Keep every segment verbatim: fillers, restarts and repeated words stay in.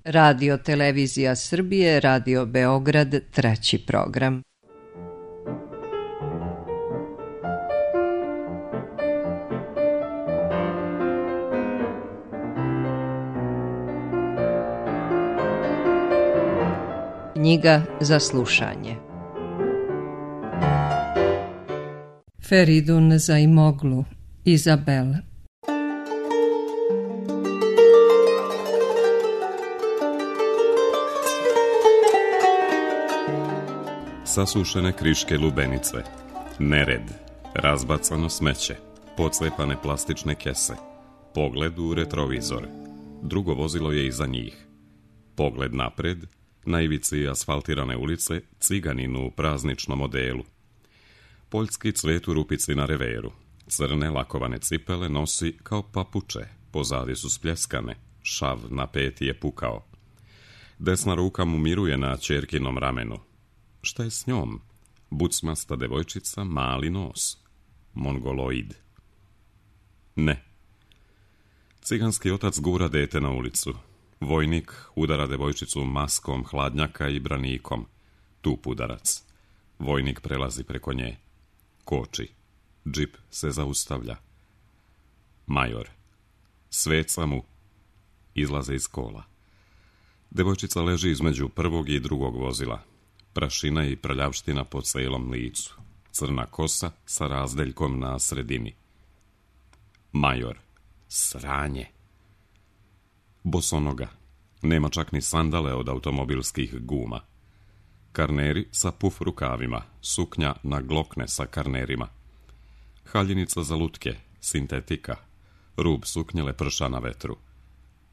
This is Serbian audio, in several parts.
Radio Televizija Srbije, Radio Beograd, treći program. Knjiga za slušanje. Feridun Zaimoglu, Izabel. Sasušene kriške lubenice, nered, razbacano smeće, pocepane plastične kese, pogled u retrovizor, drugo vozilo je iza njih, pogled napred, na ivici asfaltirane ulice, ciganin u prazničnom odelu. Poljski cvet u rupici na reveru, crne lakovane cipele nosi kao papuče, pozadi su spljeskane, šav na peti je pukao. Desna ruka mu miruje na ćerkinom ramenu. Šta je s njom? Bucmasta devojčica, mali nos. Mongoloid. Ne. Ciganski otac gura dete na ulicu. Vojnik udara devojčicu maskom hladnjaka i branikom. Tup udarac. Vojnik prelazi preko nje. Koči. Džip se zaustavlja. Major. Sveca mu. Izlaze iz kola. Devojčica leži između prvog i drugog vozila. Prašina i prljavština po celom licu. Crna kosa sa razdeljkom na sredini. Major. Sranje. Bosonoga. Nema čak ni sandale od automobilskih guma. Karneri sa puf rukavima. Suknja na glokne sa karnerima. Haljinica za lutke. Sintetika. Rub suknje leprša na vetru.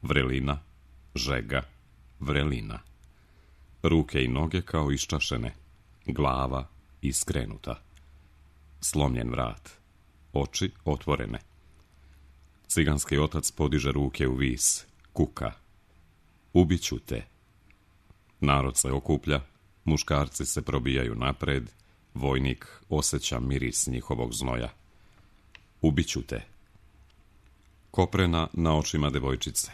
Vrelina. Žega. Vrelina. Ruke i noge kao iščašene. Glava iskrenuta. Slomljen vrat. Oči otvorene. Ciganski otac podiže ruke u vis. Kuka. Ubiću te. Narod se okuplja. Muškarci se probijaju napred. Vojnik osjeća miris njihovog znoja. Ubiću te. Koprena na očima devojčice.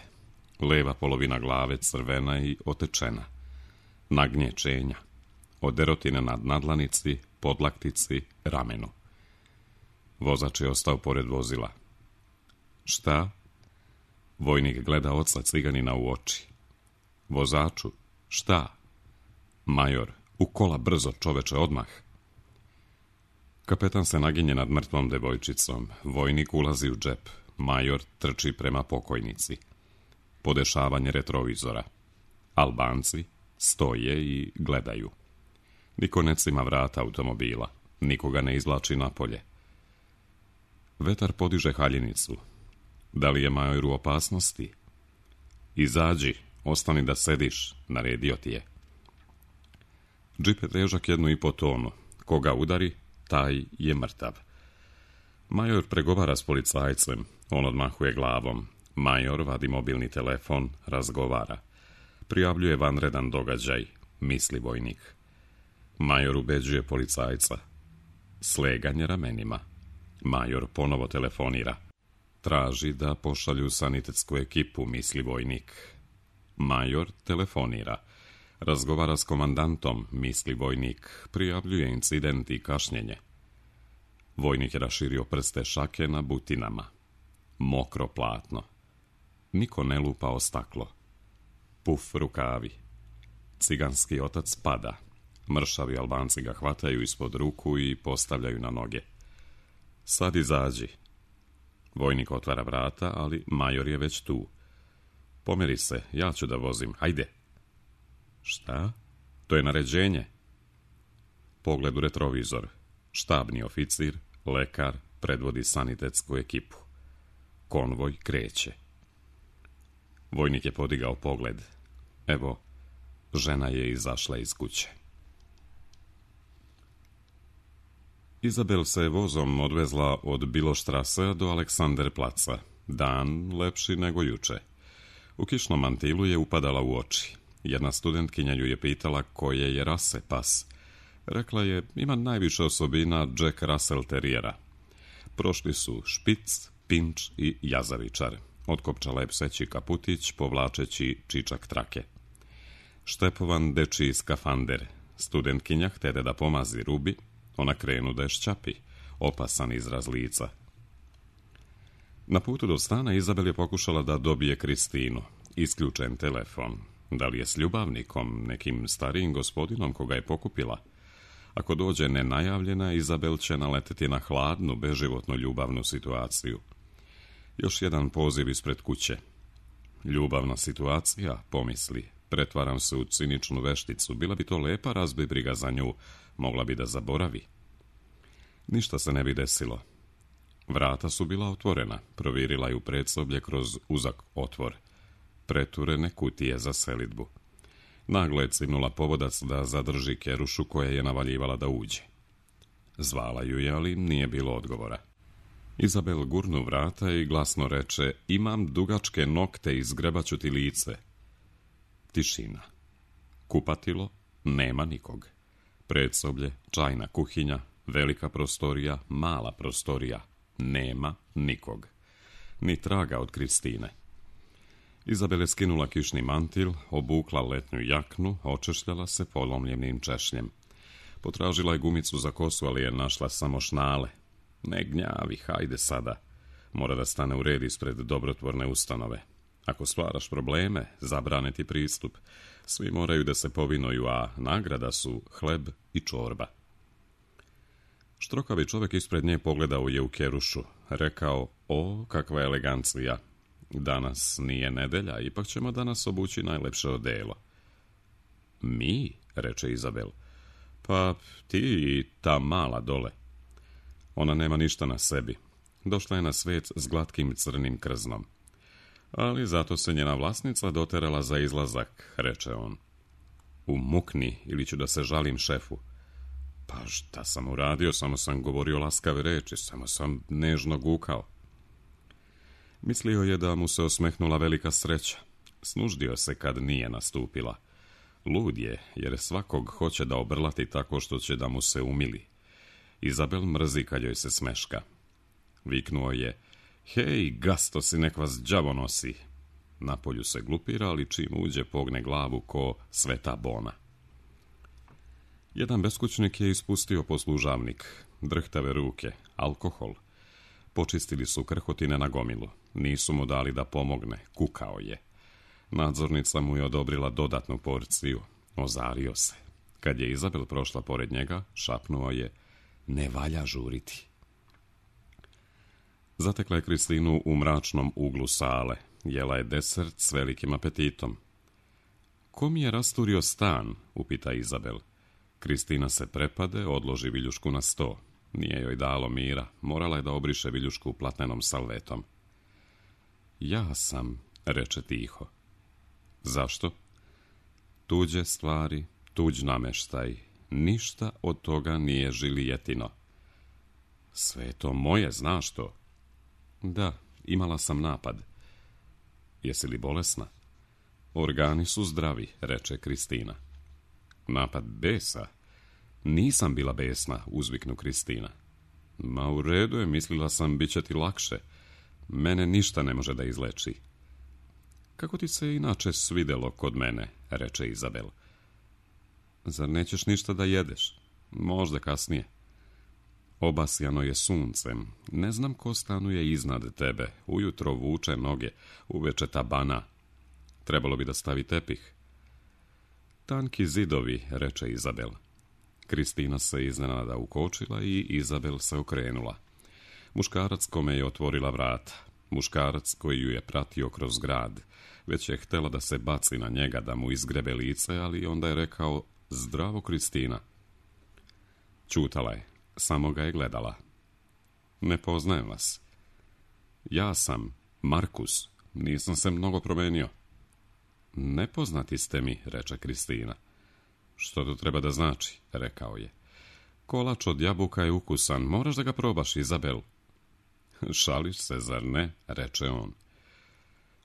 Leva polovina glave crvena i otečena. Nagnje čenja. Od derotine nad nadlanici, podlaktici, ramenu. Vozač je ostao pored vozila. Šta? Vojnik gleda oca ciganina u oči. Vozaču, šta? Major, u kola brzo, čoveče, odmah. Kapetan se naginje nad mrtvom devojčicom. Vojnik ulazi u džep. Major trči prema pokojnici. Podešavanje retrovizora. Albanci stoje i gledaju. Niko ne cima vrata automobila. Nikoga ne izvlači napolje. Vetar podiže haljinicu. Da li je major u opasnosti? Izađi, ostani da sediš, naredio ti je. Džip je težak jednu i po tonu. Koga udari, taj je mrtav. Major pregovara s policajcem. On odmahuje glavom. Major vadi mobilni telefon, razgovara. Prijavljuje vanredan događaj, misli vojnik. Major ubeđuje policajca. Sleganje ramenima. Major ponovo telefonira. Traži da pošalju sanitetsku ekipu, misli vojnik. Major telefonira. Razgovara s komandantom, misli vojnik. Prijavljuje incident i kašnjenje. Vojnik je raširio prste šake na butinama. Mokro platno. Niko ne lupa o staklo. Puf rukavi. Ciganski otac pada. Mršavi Albanci ga hvataju ispod ruku i postavljaju na noge. Sad izađi. Vojnik otvara vrata, ali major je već tu. Pomeri se, ja ću da vozim, hajde. Šta? To je naređenje. Pogled u retrovizor. Štabni oficir, lekar, predvodi sanitetsku ekipu. Konvoj kreće. Vojnik je podigao pogled. Evo, žena je izašla iz kuće. Izabel se vozom odvezla od Biloštrase do Aleksanderplaca. Dan lepši nego juče. U kišnom mantilu je upadala u oči. Jedna studentkinja ju je pitala koje je rase pas. Rekla je, ima najviše osobina Jack Russell terijera. Prošli su špic, pinč i jazavičar. Otkopčala je pseći kaputić, povlačeći čičak trake. Štepovan dečiji skafander. Studentkinja htede da pomazi Rubi, ona krenu da je šćapi, opasan izraz lica. Na putu do stana Izabel je pokušala da dobije Kristinu. Isključen telefon. Da li je s ljubavnikom, nekim starijim gospodinom koga je pokupila? Ako dođe nenajavljena, Izabel će naleteti na hladnu, beživotnu ljubavnu situaciju. Još jedan poziv ispred kuće. Ljubavna situacija, pomisli. Pretvaram se u ciničnu vešticu. Bila bi to lepa, razbi briga za nju. Mogla bi da zaboravi. Ništa se ne bi desilo. Vrata su bila otvorena. Provirila je u predsoblje kroz uzak otvor. Preturene kutije za selidbu. Naglo je cimnula povodac da zadrži Kerušu koja je navaljivala da uđe. Zvala ju je, ali nije bilo odgovora. Izabel gurnu vrata i glasno reče: imam dugačke nokte i zgrebaću ti lice. Tišina. Kupatilo, nema nikog. Predsoblje, čajna kuhinja, velika prostorija, mala prostorija, nema nikog. Ni traga od Kristine. Izabel je skinula kišni mantil, obukla letnju jaknu, očešljala se polomljenim češljem. Potražila je gumicu za kosu, ali je našla samo šnale. Ne gnjavi, hajde sada. Mora da stane u red ispred dobrotvorne ustanove. Ako stvaraš probleme, zabrane ti pristup. Svi moraju da se povinuju, a nagrada su hleb i čorba. Štrokavi čovjek ispred nje pogledao je u Kerušu. Rekao: o, kakva elegancija. Danas nije nedelja, ipak ćemo danas obući najlepše odelo. Mi, reče Izabel. Pa ti i ta mala dole. Ona nema ništa na sebi. Došla je na svet s glatkim crnim krznom. Ali zato se njena vlasnica doterala za izlazak, reče on. Umukni, ili ću da se žalim šefu. Pa šta sam uradio, samo sam govorio laskave reči, samo sam nežno gukao. Mislio je da mu se osmehnula velika sreća. Snuždio se kad nije nastupila. Lud je, jer svakog hoće da obrlati tako što će da mu se umili. Izabel mrzi kad joj se smeška. Viknuo je: hej, gasto si, nek vas đavo nosi. Napolju se glupira, ali čim uđe pogne glavu ko Sveta Bona. Jedan beskućnik je ispustio poslužavnik. Drhtave ruke, alkohol. Počistili su krhotine na gomilu. Nisu mu dali da pomogne, kukao je. Nadzornica mu je odobrila dodatnu porciju. Ozario se. Kad je Izabel prošla pored njega, šapnuo je: ne valja žuriti. Zatekla je Kristinu u mračnom uglu sale. Jela je desert s velikim apetitom. Ko mi je rasturio stan? Upita Izabel. Kristina se prepade, odloži viljušku na sto. Nije joj dalo mira. Morala je da obriše viljušku platnenom salvetom. Ja sam, reče tiho. Zašto? Tuđe stvari, tuđ nameštaj. Ništa od toga nije žilijetino. Sve je to moje, znaš to? Da, imala sam napad. Jesi li bolesna? Organi su zdravi, reče Kristina. Napad besa? Nisam bila besna, uzviknu Kristina. Ma u redu je, mislila sam, bit će ti lakše. Mene ništa ne može da izleči. Kako ti se inače svidelo kod mene, reče Izabel. Zar nećeš ništa da jedeš? Možda kasnije. Obasjano je suncem. Ne znam ko stanuje iznad tebe. Ujutro vuče noge, uveče tabana. Trebalo bi da stavi tepih. Tanki zidovi, reče Izabel. Kristina se iznenada ukočila i Izabel se okrenula. Muškarac kome je otvorila vrata. Muškarac koji ju je pratio kroz grad. Već je htela da se baci na njega, da mu izgrebe lice, ali onda je rekao: zdravo, Kristina. Ćutala je, samo ga je gledala. Ne poznajem vas. Ja sam Markus, nisam se mnogo promenio. Nepoznati ste mi, reče Kristina. Što to treba da znači, rekao je. Kolač od jabuka je ukusan, moraš da ga probaš, Izabel. Šališ se, zar ne, reče on.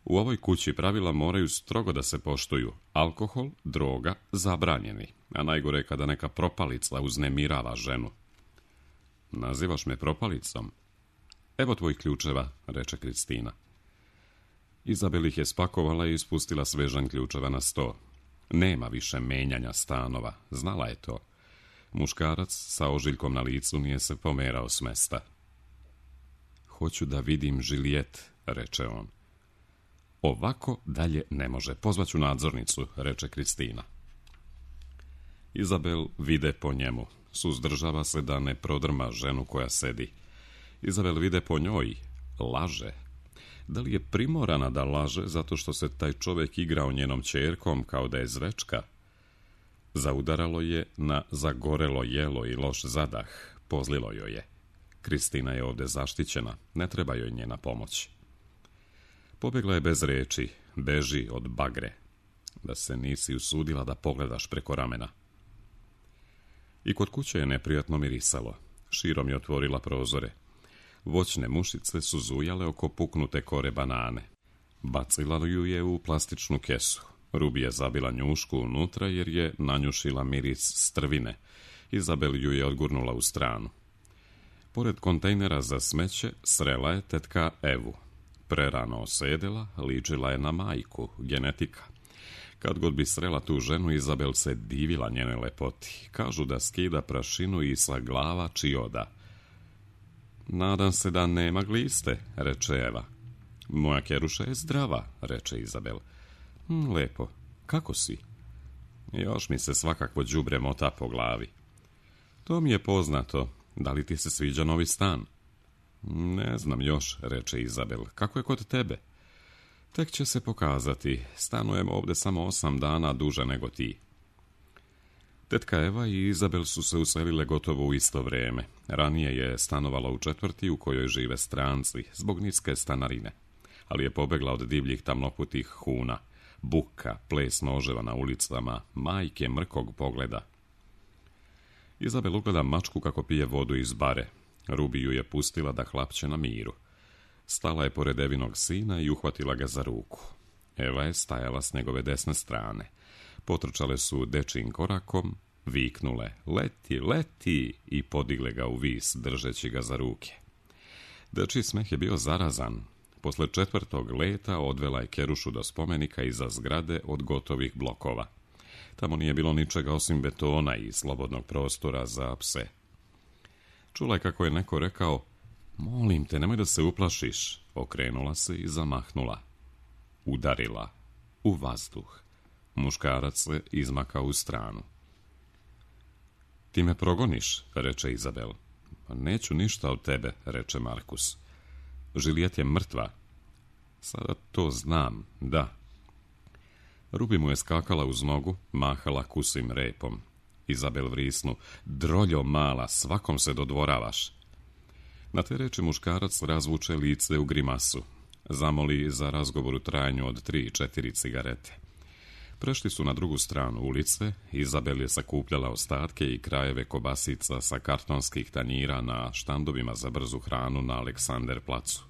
U ovoj kući pravila moraju strogo da se poštuju. Alkohol, droga, zabranjeni. A najgore je kada neka propalica uznemirava ženu. Nazivaš me propalicom? Evo tvojih ključeva, reče Kristina. Izabel ih je spakovala i ispustila svežanj ključeva na sto. Nema više menjanja stanova, znala je to. Muškarac sa ožiljkom na licu nije se pomerao s mesta. Hoću da vidim Žilijet, reče on. Ovako dalje ne može, pozvaću nadzornicu, reče Kristina. Izabel vide po njemu, suzdržava se da ne prodrma ženu koja sedi. Izabel vide po njoj, laže. Da li je primorana da laže zato što se taj čovjek igrao njenom ćerkom kao da je zvečka? Zaudaralo je na zagorelo jelo i loš zadah, pozlilo joj je. Kristina je ovdje zaštićena, ne treba joj njena pomoć. Pobjegla je bez reči, beži od bagre, da se nisi usudila da pogledaš preko ramena. I kod kuće je neprijatno mirisalo, širom je otvorila prozore. Voćne mušice su zujale oko puknute kore banane. Bacila ju je u plastičnu kesu. Rubi je zabila njušku unutra jer je nanjušila miris strvine. Izabel ju je odgurnula u stranu. Pored kontejnera za smeće srela je tetka Evu. Prerano osedela, ličila je na majku, genetika. Kad god bi srela tu ženu, Izabel se divila njene lepoti. Kažu da skida prašinu i sa glava čioda. Nadam se da nema gliste, reče Eva. Moja keruša je zdrava, reče Izabel. Hm, lepo, kako si? Još mi se svakakvo đubre mota po glavi. To mi je poznato. Da li ti se sviđa novi stan? Ne znam još, reče Izabel. Kako je kod tebe? Tek će se pokazati. Stanujem ovdje samo osam dana duže nego ti. Tetka Eva i Izabel su se uselile gotovo u isto vrijeme. Ranije je stanovala u četvrti u kojoj žive stranci, zbog niske stanarine. Ali je pobegla od divljih tamnoputih huna, buka, ples noževa na ulicama, majke mrkog pogleda. Izabel ugleda mačku kako pije vodu iz bare. Rubi ju je pustila da hlapće na miru. Stala je pored Evinog sina i uhvatila ga za ruku. Eva je stajala s njegove desne strane. Potrčale su dečijim korakom, viknule leti, leti i podigle ga u vis, držeći ga za ruke. Dečiji smeh je bio zarazan. Posle četvrtog leta odvela je kerušu do spomenika iza zgrade od gotovih blokova. Tamo nije bilo ničega osim betona i slobodnog prostora za pse. Čula je kako je neko rekao, molim te, nemoj da se uplašiš. Okrenula se i zamahnula. Udarila. U vazduh. Muškarac se izmakao u stranu. Ti me progoniš, reče Izabel. Neću ništa od tebe, reče Markus. Žilijet je mrtva. Sada to znam, da. Rubi mu je skakala uz nogu, mahala kusim repom. Izabel vrisnu, droljo mala, svakom se dodvoravaš. Na te reči muškarac razvuče lice u grimasu. Zamoli za razgovor u trajanju od tri, četiri cigarete. Prešli su na drugu stranu ulice, Izabel je sakupljala ostatke i krajeve kobasica sa kartonskih tanjira na štandovima za brzu hranu na Aleksander placu.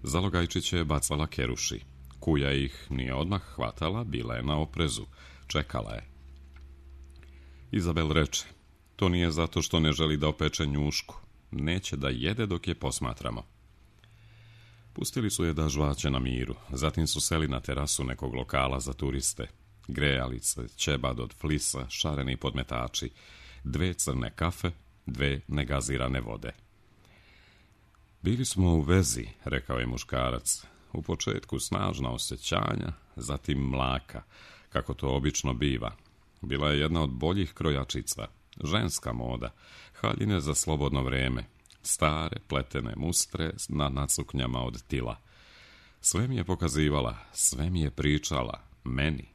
Zalogajčiće je bacala keruši. Kuja ih nije odmah hvatala, bila je na oprezu, čekala je. Izabel reče, to nije zato što ne želi da opeče njušku, neće da jede dok je posmatramo. Pustili su je da žvaće na miru, zatim su seli na terasu nekog lokala za turiste. Grejalice, ćebad od flisa, šareni podmetači, dve crne kafe, dve negazirane vode. Bili smo u vezi, rekao je muškarac. U početku snažna osjećanja, zatim mlaka, kako to obično biva. Bila je jedna od boljih krojačica, ženska moda, haljine za slobodno vrijeme, stare, pletene mustre na nacuknjama od tila. Sve mi je pokazivala, sve mi je pričala, meni.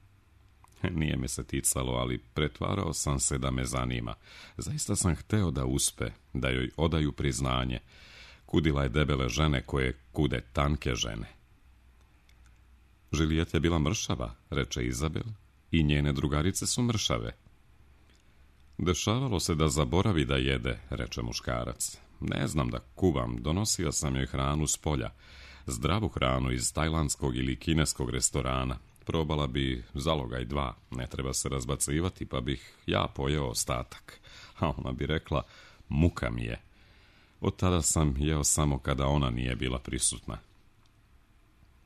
Nije me se ticalo, ali pretvarao sam se da me zanima. Zaista sam hteo da uspe, da joj odaju priznanje. Kudila je debele žene koje kude tanke žene. Žilijet je bila mršava, reče Izabel, i njene drugarice su mršave. Dešavalo se da zaboravi da jede, reče muškarac. Ne znam da kuvam, donosio sam joj hranu s polja. Zdravu hranu iz tajlandskog ili kineskog restorana. Probala bi zalogaj dva, ne treba se razbacivati, pa bih ja pojeo ostatak. A ona bi rekla, muka mi je. Od tada sam jeo samo kada ona nije bila prisutna.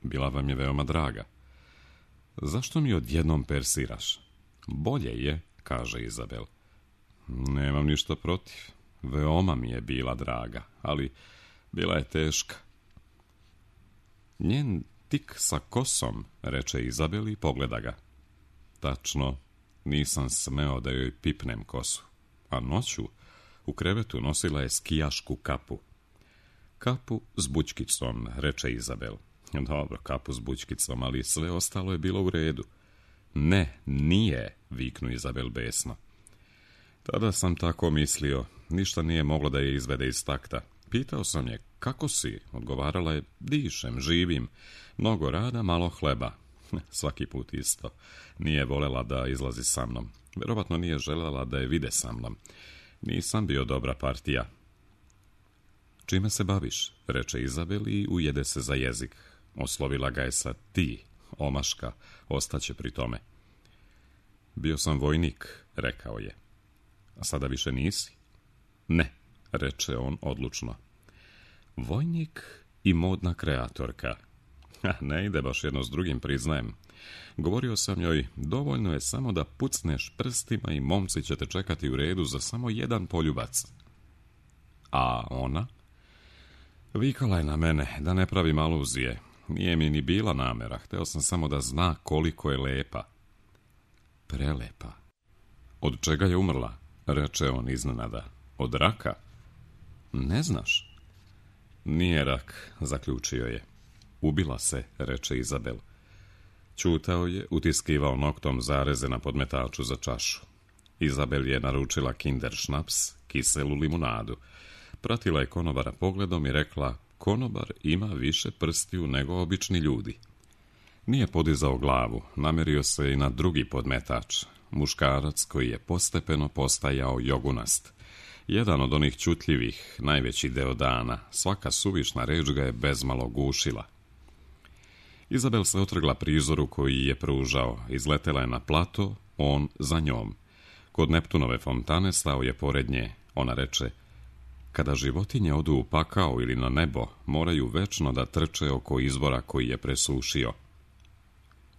Bila vam je veoma draga. Zašto mi odjednom persiraš? Bolje je, kaže Izabel. Nemam ništa protiv. Veoma mi je bila draga, ali bila je teška. Njen tik sa kosom, reče Izabel i pogleda ga. Tačno, nisam smeo da joj pipnem kosu, a noću u krevetu nosila je skijašku kapu. Kapu s bućkicom, reče Izabel. Dobro, kapu s bućkicom, ali sve ostalo je bilo u redu. Ne, nije, viknu Izabel besno. Tada sam tako mislio, ništa nije moglo da je izvede iz takta. Pitao sam je, kako si? Odgovarala je, dišem, živim. Mnogo rada, malo hleba. Svaki put isto. Nije volela da izlazi sa mnom. Vjerovatno nije željela da je vide sa mnom. Nisam bio dobra partija. Čime se baviš? Reče Izabel i ujede se za jezik. Oslovila ga je sa ti, omaška, ostaće pri tome. Bio sam vojnik, rekao je. A sada više nisi? Ne, reče on odlučno. Vojnik i modna kreatorka. Ha, ne ide baš jedno s drugim, priznajem. Govorio sam joj, dovoljno je samo da pucneš prstima i momci će te čekati u redu za samo jedan poljubac. A ona? Vikala je na mene, da ne pravim aluzije. Nije mi ni bila namera, hteo sam samo da zna koliko je lepa. Prelepa. Od čega je umrla? Reče on iznenada. Od raka? Ne znaš? Nije rak, zaključio je. Ubila se, reče Izabel. Ćutao je, utiskivao noktom zareze na podmetaču za čašu. Izabel je naručila kinder šnaps, kiselu limunadu. Pratila je konobara pogledom i rekla, konobar ima više prstiju nego obični ljudi. Nije podizao glavu, namerio se i na drugi podmetač, muškarac koji je postepeno postajao jogunast. Jedan od onih čutljivih, najveći deo dana, svaka suvišna reč ga je bezmalo gušila. Izabel se otrgla prizoru koji je pružao, izletela je na plato, on za njom. Kod Neptunove fontane stao je pored nje, ona reče, kada životinje odu u pakao ili na nebo, moraju večno da trče oko izvora koji je presušio.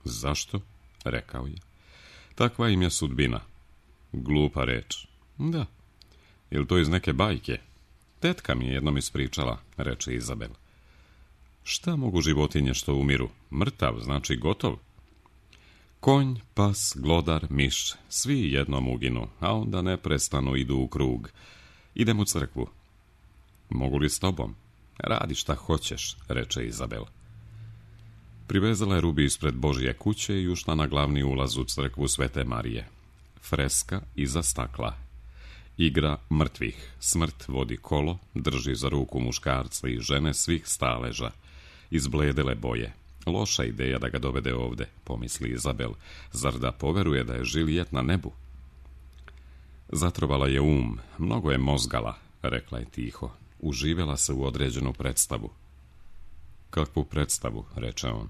Zašto? Rekao je. Takva im je sudbina. Glupa reč. Da. Jel to iz neke bajke? Tetka mi je jednom ispričala, reče Izabel. Šta mogu životinje što umiru? Mrtav, znači gotov? Konj, pas, glodar, miš, svi jednom uginu, a onda neprestano idu u krug. Idem u crkvu. Mogu li s tobom? Radi šta hoćeš, reče Izabel. Privezala je Rubi ispred Božje kuće i ušla na glavni ulaz u crkvu Svete Marije. Freska iza stakla. Igra mrtvih. Smrt vodi kolo, drži za ruku muškarca i žene svih staleža. Izbledele boje. Loša ideja da ga dovede ovde, pomisli Izabel. Zar da poveruje da je Žilijet na nebu? Zatrovala je um, mnogo je mozgala, rekla je tiho. Uživela se u određenu predstavu. Kakvu predstavu, reče on.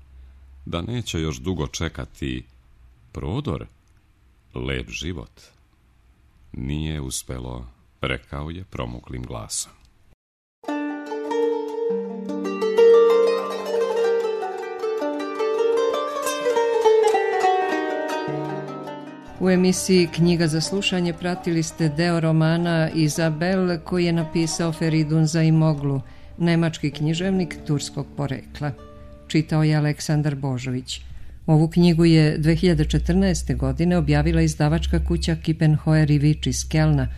Da neće još dugo čekati prodor, lep život. Nije uspelo, rekao je promuklim glasom. U emisiji Knjiga za slušanje pratili ste deo romana Izabel koji je napisao Feridun Zaimoglu, nemački književnik turskog porekla. Čitao je Aleksandar Božović. Ovu knjigu je dve hiljade četrnaeste. godine objavila izdavačka kuća Kippenhoer i Vič iz Kelna,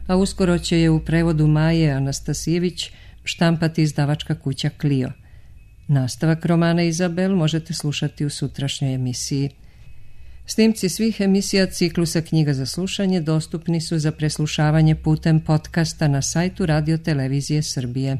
a uskoro će je u prevodu Maje Anastasijević štampati izdavačka kuća Clio. Nastavak romana Izabel možete slušati u sutrašnjoj emisiji. Snimci svih emisija ciklusa Knjiga za slušanje dostupni su za preslušavanje putem podcasta na sajtu Radio Televizije Srbije.